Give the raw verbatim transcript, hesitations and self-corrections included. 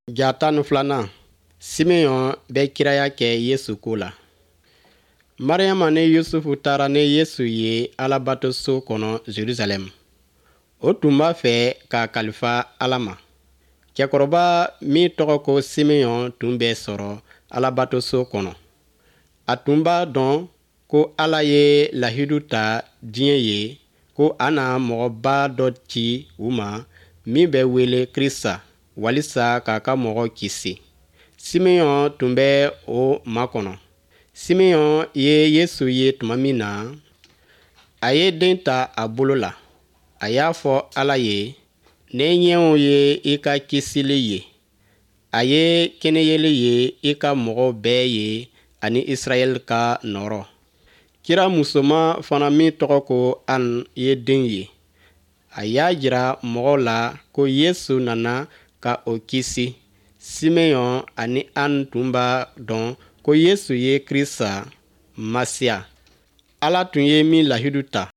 Ja tan ni filanan, Simeɔn bɛ kiraya kɛ Yesu ko la. Mariyama ni Yusufu taara ni Yesu ye Alabatoso kɔnɔ Jerusalɛm. O tun b'a fɛ k'a kalifa Ala ma. Cɛkɔrɔba min tɔgɔ ko Simeɔn tun bɛ sɔrɔ Alabatoso kɔnɔ. A tun b'a dɔn ko Ala ye lahidu ta diɲɛ ye ko a na mɔgɔba dɔ ci u ma min bɛ wele Krista, walisa k'a ka mɔgɔw kisi. Simeɔn tun bɛ o makɔnɔ. Simeɔn ye Yesu ye tuma min na, a ye den ta a bolo la. A y'a fɔ Ala ye: Ne ɲɛw ye i ka kisili ye. A ye kɛnɛyeli ye i ka mɔgɔw bɛɛ ye ani Israɛl ka nɔɔrɔ. Kira musoman fana min tɔgɔ ko An ye den ye. A y'a jira mɔgɔw la ko Yesu nana ka o kisi. Simeɔn ani An tun b'a dɔn ko Yesu ye Krista, Masiya, Ala tun ye min lahidu ta.